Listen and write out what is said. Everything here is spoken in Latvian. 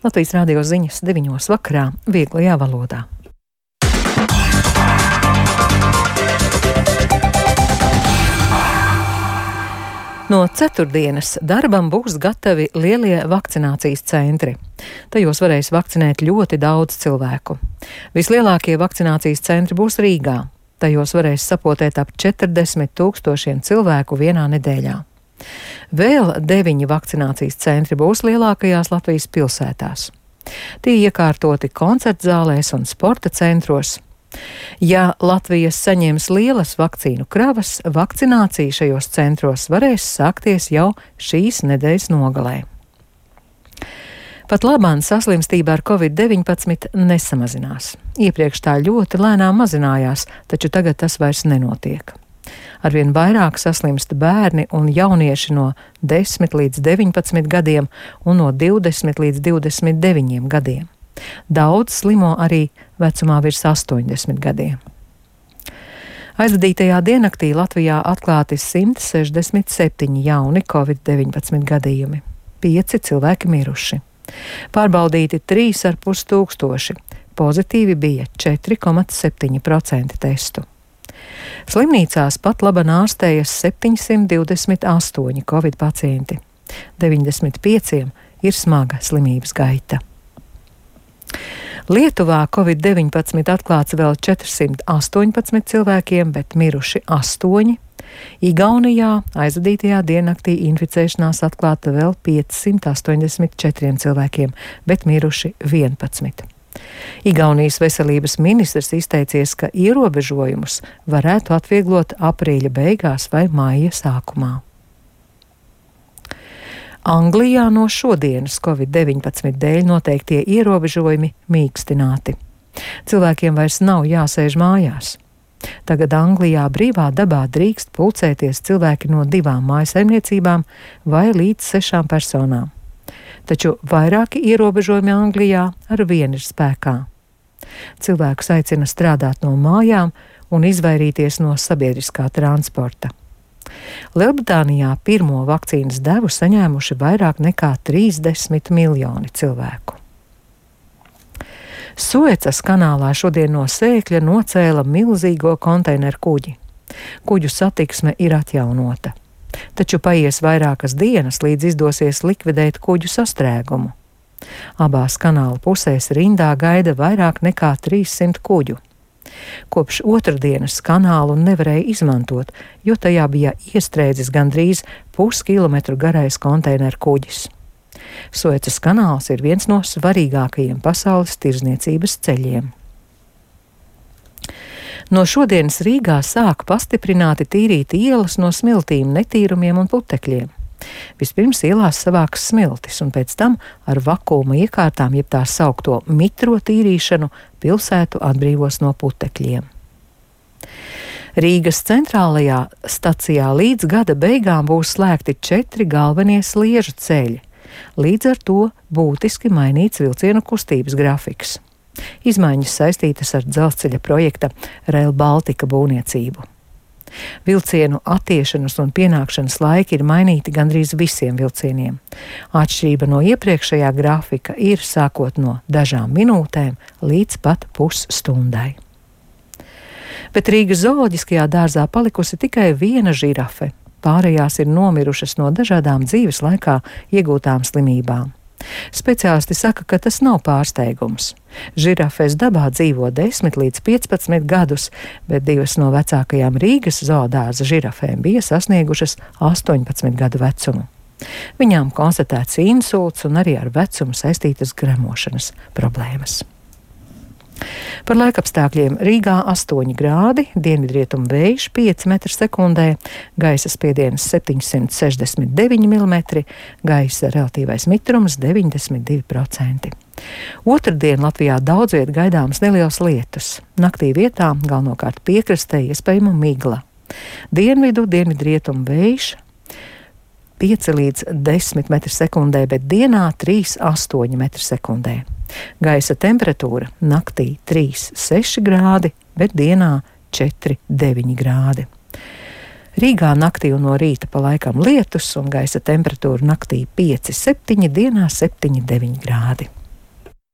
Latvijas radio ziņas 9 vakarā vieglajā valodā. No ceturtdienas darbam būs gatavi lielie vakcinācijas centri. Tajos varēs vakcinēt ļoti daudz cilvēku. Vislielākie vakcinācijas centri būs Rīgā. Tajos varēs sapotēt ap 40 000 cilvēku vienā nedēļā. Vēl 9 vakcinācijas centri būs lielākajās Latvijas pilsētās. Tie iekārtoti koncertzālēs un sporta centros. Ja Latvijas saņems lielas vakcīnu kravas, vakcinācija šajos centros varēs sākties jau šīs nedēļas nogalē. Pat labāk saslimstība ar Covid-19 nesamazinās. Iepriekš tā ļoti lēnām mazinājās, taču tagad tas vairs nenotiek. Arvien vairāk saslimst bērni un jaunieši no 10 līdz 19 gadiem un no 20 līdz 29 gadiem. Daudz slimo arī vecumā virs 80 gadiem. Aizvadītajā diennaktī Latvijā atklāti 167 jauni Covid-19 gadījumi. 5 cilvēki miruši. Pārbaudīti 3,5 tūkstoši. Pozitīvi bija 4,7% testu. Slimnīcās pat labi ārstējas 728 Covid pacienti. 95 ir smaga slimības gaita. Lietuvā Covid-19 atklāts vēl 418 cilvēkiem, bet miruši 8. Igaunijā aizvadītajā diennaktī inficēšanās atklāta vēl 584 cilvēkiem, bet miruši 11. Igaunijas veselības ministrs izteicies, ka ierobežojumus varētu atvieglot aprīļa beigās vai maija sākumā. Anglijā no šodienas Covid-19 dēļ noteiktie ierobežojumi mīkstināti. Cilvēkiem vairs nav jāsēž mājās. Tagad Anglijā brīvā dabā drīkst pulcēties cilvēki no 2 mājsaimniecībām vai līdz 6 personām. Taču vairāki ierobežojumi Anglijā ar vienu ir spēkā. Cilvēkus aicina strādāt no mājām un izvairīties no sabiedriskā transporta. Lielbritānijā pirmo vakcīnas devu saņēmuši vairāk nekā 30 miljoni cilvēku. Suecas kanālā šodien no Sēkļa nocēla milzīgo konteineru kuģi. Kuģu satiksme ir atjaunota. Taču paies vairākas dienas, līdz izdosies likvidēt kuģu sastrēgumu. Abās kanāla pusēs rindā gaida vairāk nekā 300 kuģu. Kopš otrdienas kanālu nevarēja izmantot, jo tajā bija iestrēdzis gandrīz puskilometru garais konteineru kuģis. Suecas kanāls ir viens no svarīgākajiem pasaules tirdzniecības ceļiem. No šodienas Rīgā sāk pastiprināti tīrīt ielas no smiltīm, netīrumiem un putekļiem. Vispirms ielās savāks smiltis, un pēc tam ar vakuma iekārtām, jeb tā saukto mitro tīrīšanu, pilsētu atbrīvos no putekļiem. Rīgas centrālajā stacijā līdz gada beigām būs slēgti 4 galvenie sliežu ceļi. Līdz ar to būtiski mainīts vilcienu kustības grafiks. Izmaiņas saistītas ar dzelzceļa projekta Rail Baltica būvniecību. Vilcienu attiešanas un pienākšanas laiki ir mainīti gandrīz visiem vilcieniem. Atšķirība no iepriekšējā grafika ir sākot no dažām minūtēm līdz pat pusstundai. Bet Rīgas zooloģiskajā dārzā palikusi tikai viena žirafe. Pārējās ir nomirušas no dažādām dzīves laikā iegūtām slimībām. Speciālisti saka, ka tas nav pārsteigums. Žirafes dabā dzīvo 10 līdz 15 gadus, bet 2 no vecākajām Rīgas zoodārza žirafēm bija sasniegušas 18 gadu vecumu. Viņām konstatēts insults un arī ar vecumu saistītas gremošanas problēmas. Par laikapstākļiem Rīgā 8 grādi, dienvidrietumu vējš 5 m/sekundē, gaisa spiediens 769 mm, gaisa relatīvais mitrums 92%. Otrdien Latvijā daudz viet gaidāmas nelielas lietus. Naktī vietām, galvenokārt piekrastē, iespējama migla. Dienvidu, dienvidrietumu vējš 5 līdz 10 m/sekundē, bet dienā 3,8 m/sekundē. Gaisa temperatūra naktī 3,6 grādi, bet dienā 4,9 grādi. Rīgā naktī un no rīta pa laikam lietus un gaisa temperatūra naktī 5,7, dienā 7,9 grādi.